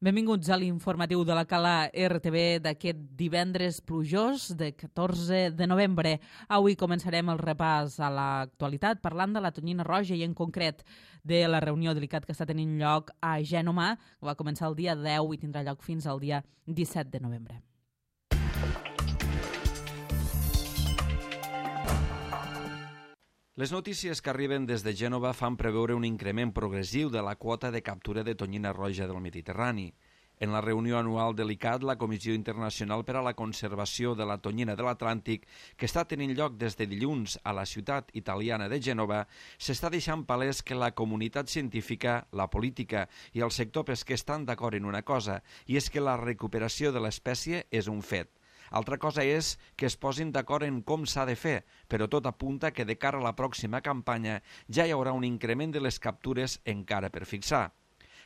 Benvinguts a l'informatiu de la Cala RTV d'aquest divendres plujós de 14 de novembre. Avui començarem el repàs a l'actualitat parlant de la tonyina roja i en concret de la reunió de l'ICAT que està tenint lloc a Gènova. Va començar el dia 10 i tindrà lloc fins al dia 17 de novembre. Les notícies que arriben des de Gènova fan preveure un increment progressiu de la quota de captura de tonyina roja del Mediterrani. En la reunió anual de l'ICAT, la Comissió Internacional per a la Conservació de la Tonyina de l'Atlàntic, que està tenint lloc des de dilluns a la ciutat italiana de Gènova, s'està deixant palès que la comunitat científica, la política i el sector pesquer estan d'acord en una cosa, i és que la recuperació de l'espècie és un fet. Altra cosa és que es posin d'acord en com s'ha de fer, però tot apunta que de cara a la pròxima campanya ja hi haurà un increment de les captures encara per fixar.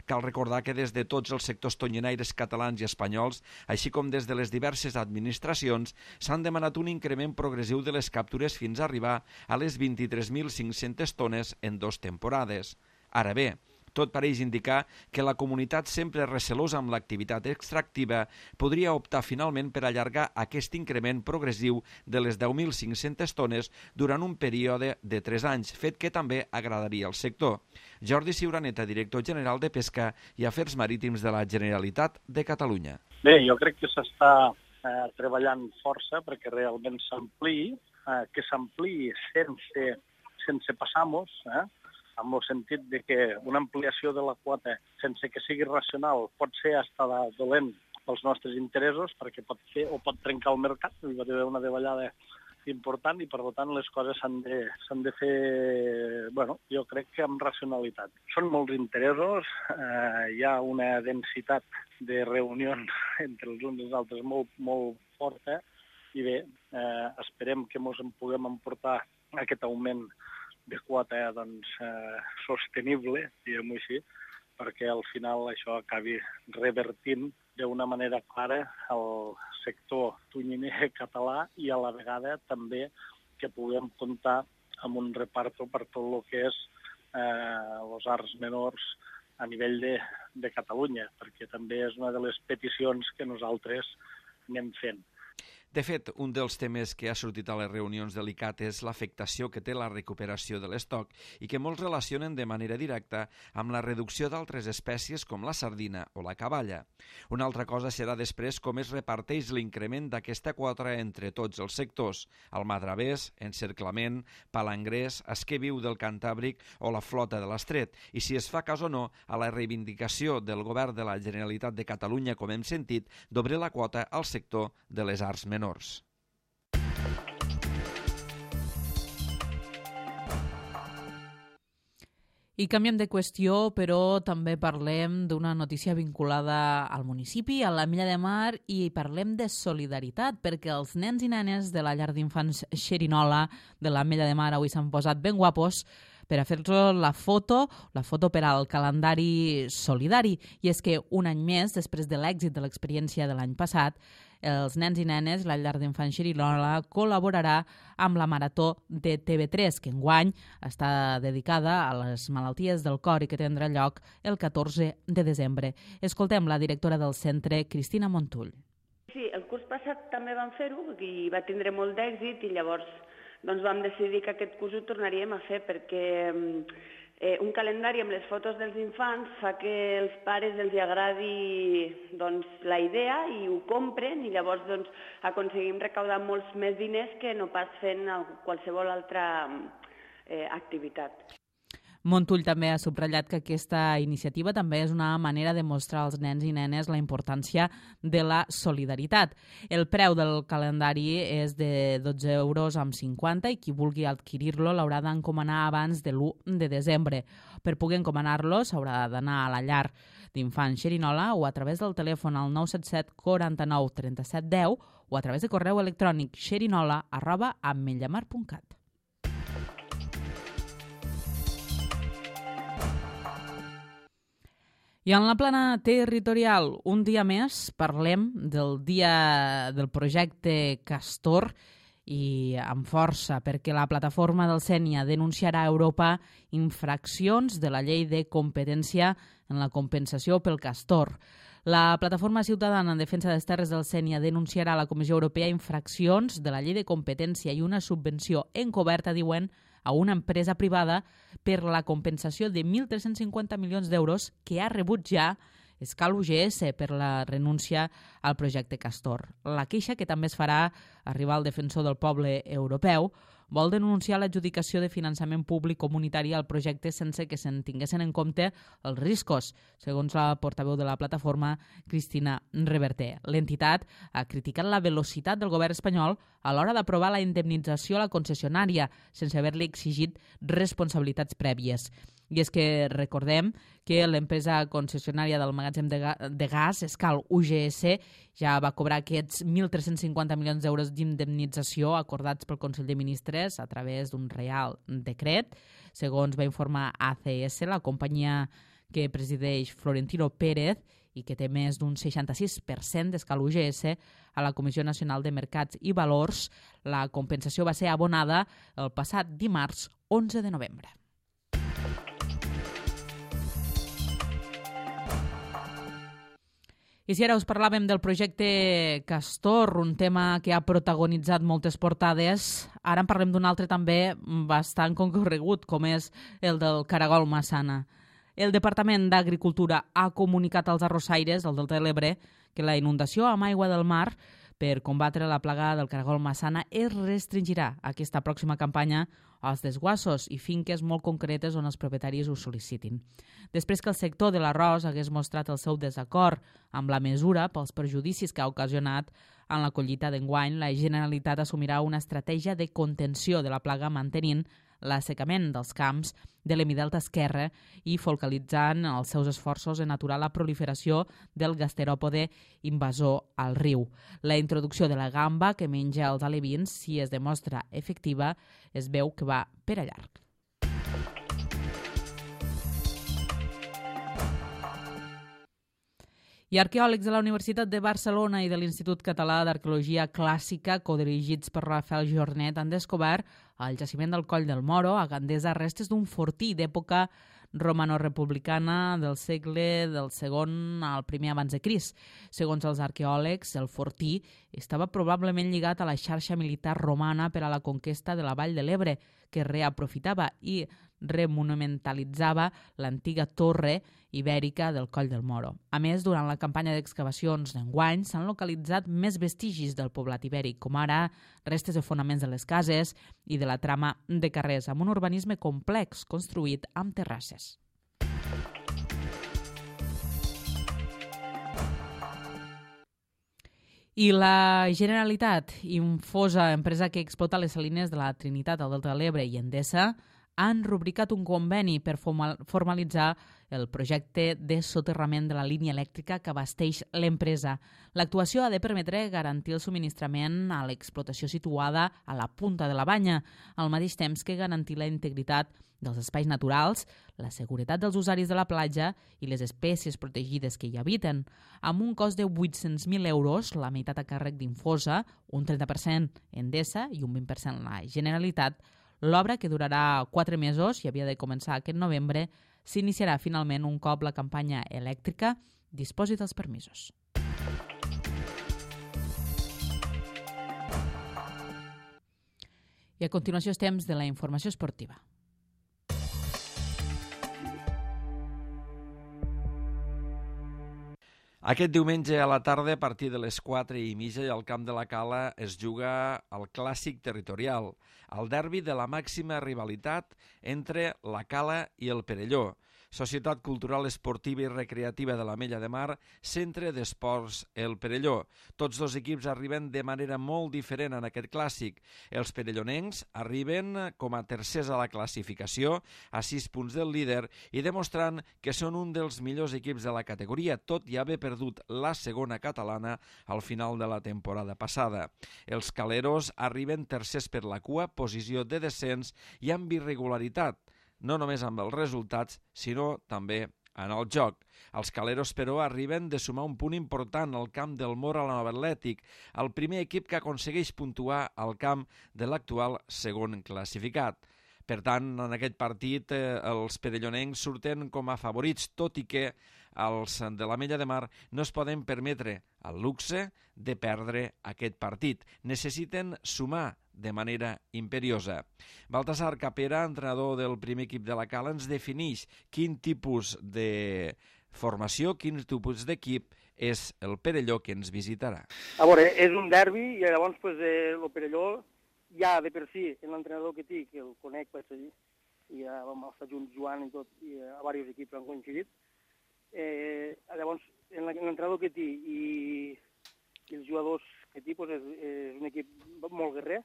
Cal recordar que des de tots els sectors tonyinaires catalans i espanyols, així com des de les diverses administracions, s'han demanat un increment progressiu de les captures fins a arribar a les 23.500 tones en 2 temporades. Ara bé, tot pareix indicar que la comunitat sempre recelosa amb l'activitat extractiva podria optar finalment per allargar aquest increment progressiu de les 10.500 tones durant un període de 3 anys, fet que també agradaria al sector. Jordi Ciuraneta, director general de Pesca i Afers Marítims de la Generalitat de Catalunya. Bé, jo crec que s'està treballant força perquè realment s'ampliï, que s'ampliï sense passar-nos, en el sentit de que una ampliació de la quota sense que sigui racional pot ser hasta dolent pels nostres interessos perquè pot fer o pot trencar el mercat, hi va haver una davallada important i per tant les coses s'han de fer, jo crec que amb racionalitat. Són molts interessos, hi ha una densitat de reunions entre els uns i els altres molt forta i bé, esperem que ens en puguem emportar aquest augment de quota sostenible, diguem-ho així, perquè al final això acabi revertint d'una manera clara el sector tonyiner català i a la vegada també que puguem comptar amb un reparto per tot el que és els arts menors a nivell de Catalunya, perquè també és una de les peticions que nosaltres anem fent. De fet, un dels temes que ha sortit a les reunions de l'ICAT és l'afectació que té la recuperació de l'estoc i que molts relacionen de manera directa amb la reducció d'altres espècies com la sardina o la caballa. Una altra cosa serà després com es reparteix l'increment d'aquesta quota entre tots els sectors, el madravers, encerclament, palangrers, esquer viu del Cantàbric o la flota de l'Estret, i si es fa cas o no a la reivindicació del Govern de la Generalitat de Catalunya, com hem sentit, d'obrir la quota al sector de les arts menors. I canviem de qüestió, però també parlem d'una notícia vinculada al municipi, a l'Ametlla de Mar, i parlem de solidaritat, perquè els nens i nenes de la llar d'infants Xerinola de l'Ametlla de Mar avui s'han posat ben guapos per a fer-los la foto per al calendari solidari. I és que un any més, després de l'èxit de l'experiència de l'any passat, els nens i nenes, la llar d'infants Xerinola, col·laborarà amb la Marató de TV3, que enguany està dedicada a les malalties del cor i que tindrà lloc el 14 de desembre. Escoltem la directora del centre, Cristina Montull. Sí, el curs passat també vam fer-ho i va tindre molt d'èxit i llavors vam decidir que aquest curs ho tornaríem a fer perquè un calendari amb les fotos dels infants fa que els pares els agradi la idea i ho compren i llavors aconseguim recaudar molts més diners que no pas fent qualsevol altra activitat. Montull també ha subratllat que aquesta iniciativa també és una manera de mostrar als nens i nenes la importància de la solidaritat. El preu del calendari és de 12,50 € i qui vulgui adquirir-lo l'haurà d'encomanar abans de l'1 de desembre. Per poder encomanar-lo s'haurà d'anar a la llar d'infants Xerinola o a través del telèfon al 977 49 37 10 o a través de correu electrònic xerinola@ametllamar.cat. I en la plana territorial, un dia més, parlem del dia del projecte Castor i amb força, perquè la plataforma del Sénia denunciarà a Europa infraccions de la llei de competència en la compensació pel castor. La Plataforma Ciutadana en Defensa de les Terres del Sénia denunciarà a la Comissió Europea infraccions de la llei de competència i una subvenció encoberta, diuen, a una empresa privada per la compensació de 1.350 milions d'euros que ha rebut ja Escal UGS per la renúncia al projecte Castor. La queixa, que també es farà arribar al defensor del poble europeu, vol denunciar l'adjudicació de finançament públic comunitari al projecte sense que se'n tinguessin en compte els riscos, segons la portaveu de la plataforma, Cristina Reverter. L'entitat ha criticat la velocitat del govern espanyol a l'hora d'aprovar la indemnització a la concessionària, sense haver-li exigit responsabilitats prèvies. I és que recordem que l'empresa concessionària del magatzem de gas, Escal UGS, ja va cobrar aquests 1.350 milions d'euros d'indemnització acordats pel Consell de Ministres a través d'un reial decret. Segons va informar ACS, la companyia que presideix Florentino Pérez i que té més d'un 66% d'Escal UGS a la Comissió Nacional de Mercats i Valors, la compensació va ser abonada el passat dimarts 11 de novembre. I si ara us parlàvem del projecte Castor, un tema que ha protagonitzat moltes portades, ara en parlem d'un altre també bastant concorregut, com és el del caragol Massana. El Departament d'Agricultura ha comunicat als arrossaires del Delta de l'Ebre que la inundació amb aigua del mar per combatre la plaga del caragol Massana es restringirà aquesta pròxima campanya als desguassos i finques molt concretes on els propietaris ho sol·licitin. Després que el sector de l'arròs hagués mostrat el seu desacord amb la mesura pels perjudicis que ha ocasionat en la collita d'enguany, la Generalitat assumirà una estratègia de contenció de la plaga mantenint l'assecament dels camps de l'hemidelta esquerre i focalitzant els seus esforços en aturar la proliferació del gasteròpode invasor al riu. La introducció de la gamba que menja els alevins, si es demostra efectiva, es veu que va per a llarg. I arqueòlegs de la Universitat de Barcelona i de l'Institut Català d'Arqueologia Clàssica, codirigits per Rafael Jornet, han descobert al jaciment del Coll del Moro, a Gandesa, restes d'un fortí d'època romano-republicana del segle del segon al primer abans de Crist. Segons els arqueòlegs, el fortí estava probablement lligat a la xarxa militar romana per a la conquesta de la Vall de l'Ebre, que reaprofitava i remonumentalitzava l'antiga torre ibèrica del Coll del Moro. A més, durant la campanya d'excavacions d'enguany s'han localitzat més vestigis del poblat ibèric, com ara restes de fonaments de les cases i de la trama de carrers, amb un urbanisme complex construït amb terrasses. I la Generalitat, Infosa, empresa que explota les salines de la Trinitat al Delta de l'Ebre, i Endesa, han rubricat un conveni per formalitzar el projecte de soterrament de la línia elèctrica que abasteix l'empresa. L'actuació ha de permetre garantir el subministrament a l'explotació situada a la punta de la banya, al mateix temps que garantir la integritat dels espais naturals, la seguretat dels usuaris de la platja i les espècies protegides que hi habiten. Amb un cost de 800.000 euros, la meitat a càrrec d'Infosa, un 30% Endesa i un 20% la Generalitat, l'obra, que durarà 4 mesos i havia de començar aquest novembre, s'iniciarà finalment un cop la campanya elèctrica disposi dels permisos. I a continuació és temps de la informació esportiva. Aquest diumenge a la tarda, a partir de les 4:30, al Camp de la Cala es juga el clàssic territorial, el derbi de la màxima rivalitat entre la Cala i el Perelló. Societat Cultural Esportiva i Recreativa de l'Ametlla de Mar, Centre d'Esports El Perelló. Tots dos equips arriben de manera molt diferent en aquest clàssic. Els perellonencs arriben com a tercers a la classificació, a 6 punts del líder, i demostrant que són un dels millors equips de la categoria, tot i haver perdut la segona catalana al final de la temporada passada. Els caleros arriben tercers per la cua, posició de descens i amb irregularitat, no només amb els resultats, sinó també en el joc. Els caleros, però, arriben de sumar un punt important al camp del Mor a la Nova Atlètic, el primer equip que aconsegueix puntuar al camp de l'actual segon classificat. Per tant, en aquest partit els perellonencs surten com a favorits, tot i que els de l'Ametlla de Mar no es poden permetre el luxe de perdre aquest partit. Necessiten sumar de manera imperiosa. Baltasar Capera, entrenador del primer equip de la Cala, ens defineix quin tipus de formació, quin tipus d'equip és el Perelló que ens visitarà. A veure, és un derbi i llavors el Perelló ja de per si, en l'entrenador que té, que el conec, i ja vam estar junts jugant i tot, i a diversos equips han coincidit. Llavors, en l'entrenador que té i els jugadors que té, és un equip molt guerrer,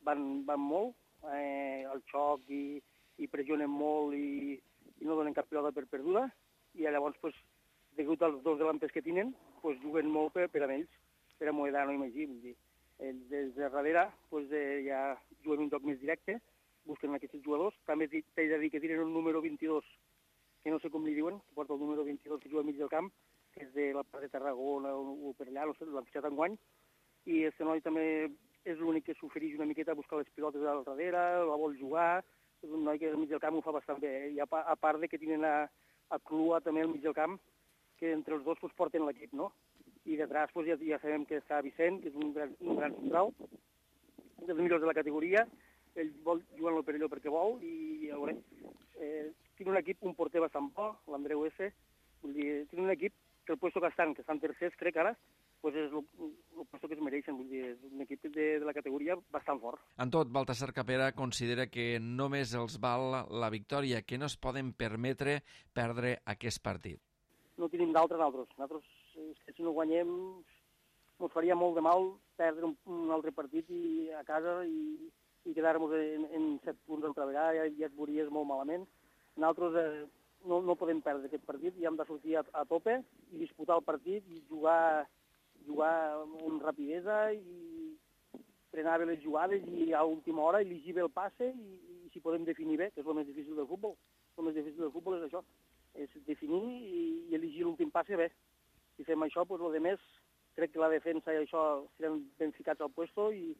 van molt, al xoc i pressionen molt i no donen cap pilota per perduda, i llavors, degut als dos delanters que tenen, juguen molt per a ells, per a Moedano i Magí, vull dir. Des de darrere ja juguen un joc més directe, busquen aquests jugadors. També t'he de dir que tenen un número 22, que no sé com li diuen, que porta el número 22 que juga al mig del camp, que és de la part de Tarragona o per allà, no sé, l'han fitxat enguany, i este noi també és l'únic que s'ofereix una miqueta a buscar les pilotes al darrere, la vol jugar, és un noi que al mig del camp ho fa bastant bé, i a part de que tenen a Clua també al mig del camp, que entre els dos porten l'equip, no? I detrás ja sabem que està Vicent, que és un gran central, dels millors de la categoria, ell vol jugar en el Perelló perquè vol, i a veure, tiene un equip, un porter bastant bo, l'Andreu S, vull dir, tiene un equip que el puesto que estan tercers, crec ara, és el puesto que es mereixen, vull dir, és un equip de la categoria bastant fort. En tot, Baltasar Capera considera que només els val la victòria, que no es poden permetre perdre aquest partit. No tenim d'altres nosaltres. Nosaltres, que si no guanyem, ens faria molt de mal perdre un altre partit a casa i quedar-nos en 7 punts altra vegada, ja et veuries molt malament. Nosaltres no podem perdre aquest partit i hem de sortir a tope i disputar el partit i jugar amb rapidesa i frenar bé les jugades i a última hora llegir bé el passe i si podem definir bé, que és el més difícil del futbol. El més difícil del futbol és això, és definir i elegir l'últim passe bé. Si fem això, el més, crec que la defensa i això seran ben ficats al puesto i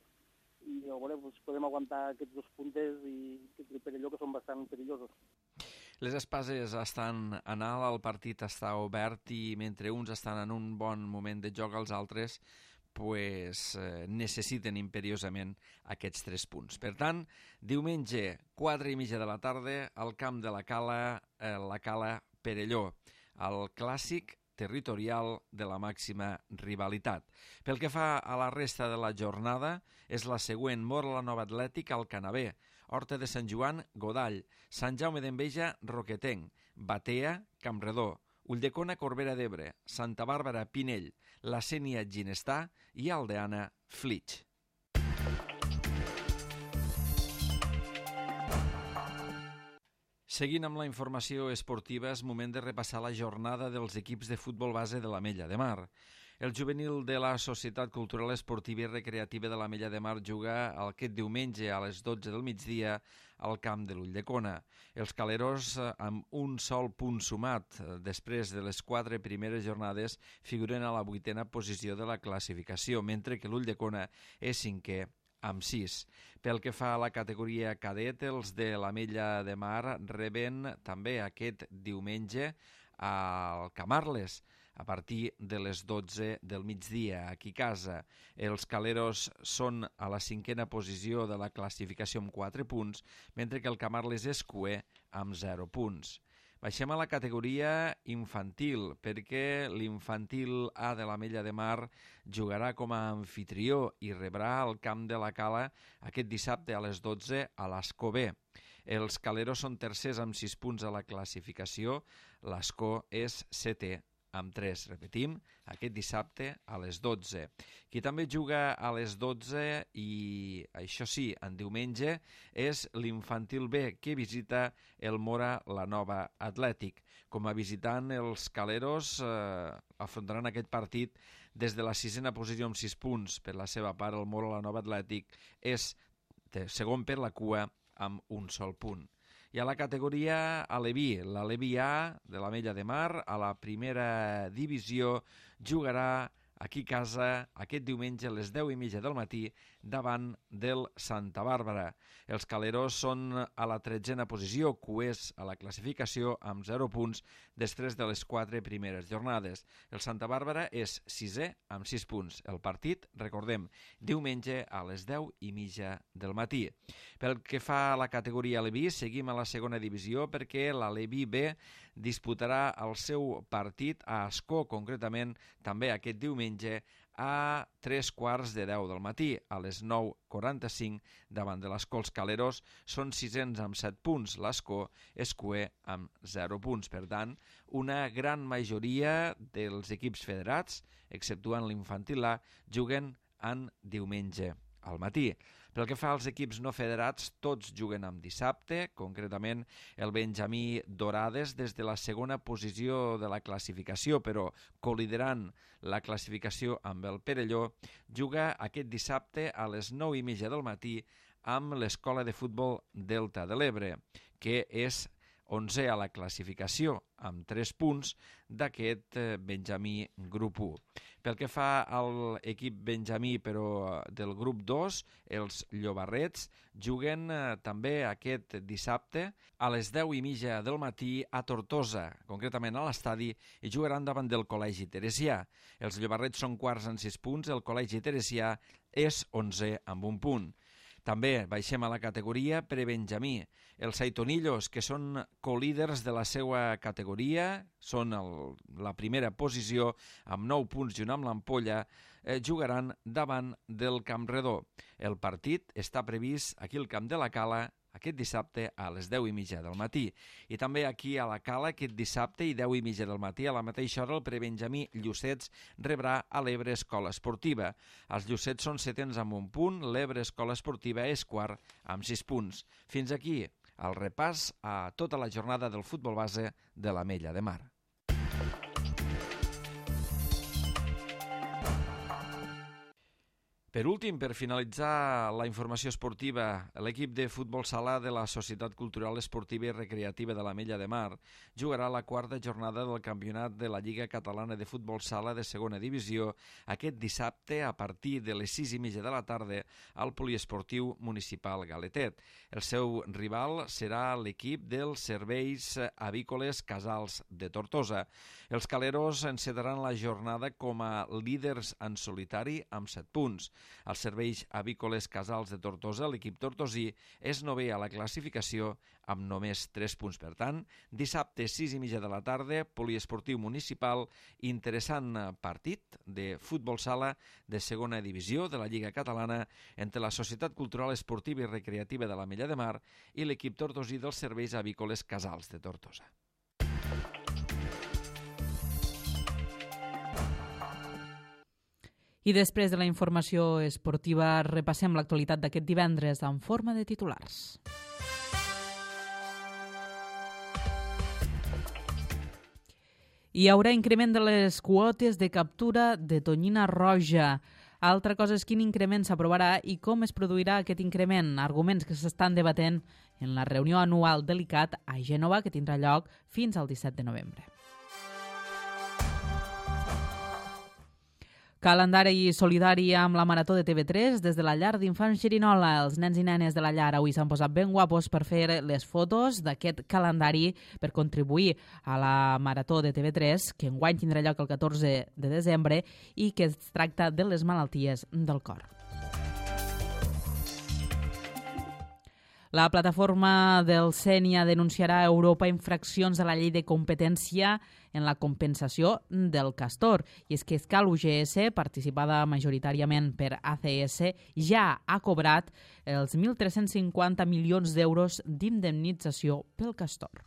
podem aguantar aquests 2 puntes i el Perelló, que són bastant perillosos. Les espases estan en alt, el partit està obert i mentre uns estan en un bon moment de joc, els altres necessiten imperiosament aquests 3 punts. Per tant, diumenge, 4:30 de la tarda, al camp de la Cala Perelló, el clàssic territorial de la màxima rivalitat. Pel que fa a la resta de la jornada, és la següent: Móra la Nova Atlètic, Alcanavè, Horta de Sant Joan, Godall, Sant Jaume d'Enveja, Roquetenc, Batea, Campredó, Ulldecona, Corbera d'Ebre, Santa Bàrbara, Pinell, La Sénia, Ginestà i Aldeana, Flix. Seguint amb la informació esportiva, és moment de repassar la jornada dels equips de futbol base de l'Ametlla de Mar. El juvenil de la Societat Cultural Esportiva i Recreativa de l'Ametlla de Mar juga aquest diumenge a les 12 del migdia al camp de l'Ulldecona. Els caleros, amb un sol punt sumat després de les 4 primeres jornades, figuren a la 8a posició de la classificació, mentre que l'Ulldecona és 5è amb 6. Pel que fa a la categoria cadet, els de l'Ametlla de Mar reben també aquest diumenge al Camarles, a partir de les 12 del migdia, aquí a casa. Els caleros són a la 5a posició de la classificació amb 4 punts, mentre que el Camarles és cuer amb 0 punts. Baixem a la categoria infantil, perquè l'infantil A de l'Ametlla de Mar jugarà com a anfitrió i rebrà al camp de la Cala aquest dissabte a les 12 a l'Escó B. Els caleros són tercers amb 6 punts a la classificació, l'Escó és 7è amb 3. Repetim, aquest dissabte a les 12. Qui també juga a les 12 i, això sí, en diumenge, és l'infantil B, que visita el Móra la Nova Atlètic. Com a visitant, els caleros afrontaran aquest partit des de la 6a posició amb 6 punts. Per la seva part, el Móra la Nova Atlètic és segon per la cua amb un sol punt. I a la categoria Aleví, l'Aleví A de l'Ametlla de Mar, a la primera divisió, jugarà aquí a casa aquest diumenge a les 10:30 del matí davant del Santa Bàrbara. Els caleros són a la 13a posició, cuers a la classificació amb 0 punts després de les 4 primeres jornades. El Santa Bàrbara és 6è amb 6 punts. El partit, recordem, diumenge a les 10:30 del matí. Pel que fa a la categoria Aleví, seguim a la segona divisió perquè l'Aleví B disputarà el seu partit a Ascó, concretament també aquest diumenge a 3:15 del matí, a les 9:45 davant de l'Ascó. Els caleros són 6ens amb 7 punts, l'Ascó és cuer amb 0 punts. Per tant, una gran majoria dels equips federats, exceptuant l'infantil A, juguen en diumenge al matí. Pel que fa als equips no federats, tots juguen amb dissabte, concretament el Benjamí Dorades des de la segona posició de la classificació, però col·liderant la classificació amb el Perelló, juga aquest dissabte a les 9:30 del matí amb l'Escola de Futbol Delta de l'Ebre, que és 11è a la classificació, amb 3 punts d'aquest Benjamí grup 1. Pel que fa a l'equip Benjamí, però del grup 2, els Llobarrets juguen també aquest dissabte a les 10:30 del matí a Tortosa, concretament a l'estadi, i jugaran davant del Col·legi Teresià. Els Llobarrets són quarts amb 6 punts, el Col·legi Teresià és 11è amb 1 punt. També baixem a la categoria prebenjamí. Els Saitonillos, que són colíders de la seva categoria, són la primera posició amb 9 punts junt amb l'Ampolla, jugaran davant del Campredó. El partit està previst aquí al Camp de la Cala aquest dissabte a les 10:30 del matí. I també aquí a la Cala aquest dissabte i 10:30 del matí a la mateixa hora el prebenjamí Llucets rebrà a l'Ebre Escola Esportiva. Els Llucets són 7ens amb 1 punt, l'Ebre Escola Esportiva és quart amb 6 punts. Fins aquí el repàs a tota la jornada del futbol base de l'Ametlla de Mar. Per últim, per finalitzar la informació esportiva, l'equip de futbol sala de la Societat Cultural Esportiva i Recreativa de l'Ametlla de Mar jugarà la 4a jornada del campionat de la Lliga Catalana de Futbol Sala de segona divisió aquest dissabte a partir de les 6:30 de la tarda al Poliesportiu Municipal Galetet. El seu rival serà l'equip dels Serveis Avícoles Casals de Tortosa. Els caleros encetaran la jornada com a líders en solitari amb 7 punts. Els Serveis Avícoles Casals de Tortosa, l'equip tortosí, és 9è a la classificació amb només 3 punts. Per tant, dissabte 6:30 de la tarda, Poliesportiu Municipal, interessant partit de futbol sala de segona divisió de la Lliga Catalana entre la Societat Cultural Esportiva i Recreativa de l'Ametlla de Mar i l'equip tortosí dels Serveis Avícoles Casals de Tortosa. I després de la informació esportiva repassem l'actualitat d'aquest divendres en forma de titulars. Hi haurà increment de les quotes de captura de tonyina roja. Altra cosa és quin increment s'aprovarà i com es produirà aquest increment. Arguments que s'estan debatent en la reunió anual de l'ICAT a Gènova, que tindrà lloc fins al 17 de novembre. Calendari solidari amb la Marató de TV3 des de la llar d'infants Xerinola. Els nens i nenes de la llar avui s'han posat ben guapos per fer les fotos d'aquest calendari per contribuir a la Marató de TV3, que enguany tindrà lloc el 14 de desembre i que es tracta de les malalties del cor. La plataforma del Sénia denunciarà a Europa infraccions de la llei de competència en la compensació del castor. I és que Escal UGS, participada majoritàriament per ACS, ja ha cobrat els 1.350 milions d'euros d'indemnització pel castor.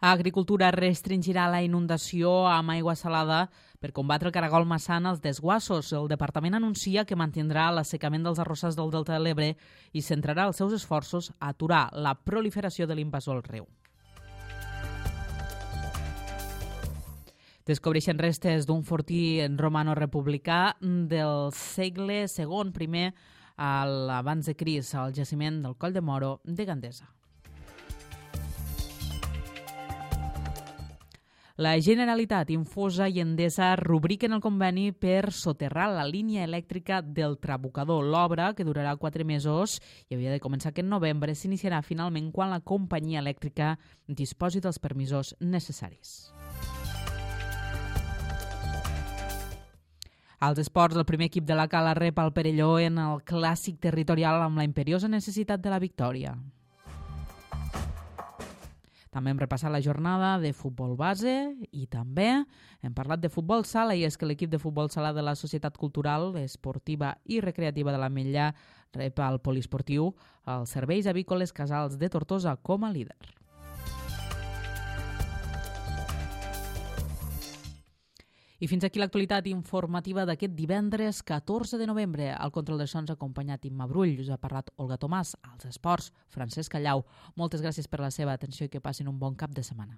Agricultura restringirà la inundació amb aigua salada per combatre el caragol massana als desguassos. El departament anuncia que mantindrà l'assecament dels arrossars del Delta de l'Ebre i centrarà els seus esforços a aturar la proliferació de l'invasor al riu. Descobreixen restes d'un fortí romano-republicà del segle II, primer abans de Crist, al jaciment del Coll de Moro de Gandesa. La Generalitat, Infosa i Endesa rubriquen el conveni per soterrar la línia elèctrica del Trabucador. L'obra, que durarà 4 mesos i havia de començar aquest novembre, s'iniciarà finalment quan la companyia elèctrica disposi dels permisos necessaris. Als esports, el primer equip de la Cala rep el Perelló en el clàssic territorial amb la imperiosa necessitat de la victòria. També hem repassat la jornada de futbol base i també hem parlat de futbol sala, i és que l'equip de futbol sala de la Societat Cultural, Esportiva i Recreativa de l'Ametlla rep al poliesportiu els Serveis Avícoles Casals de Tortosa com a líder. I fins aquí l'actualitat informativa d'aquest divendres 14 de novembre. Al control de sons ha acompanyat Imma Brull, us ha parlat Olga Tomàs, als esports, Francesc Callau. Moltes gràcies per la seva atenció i que passin un bon cap de setmana.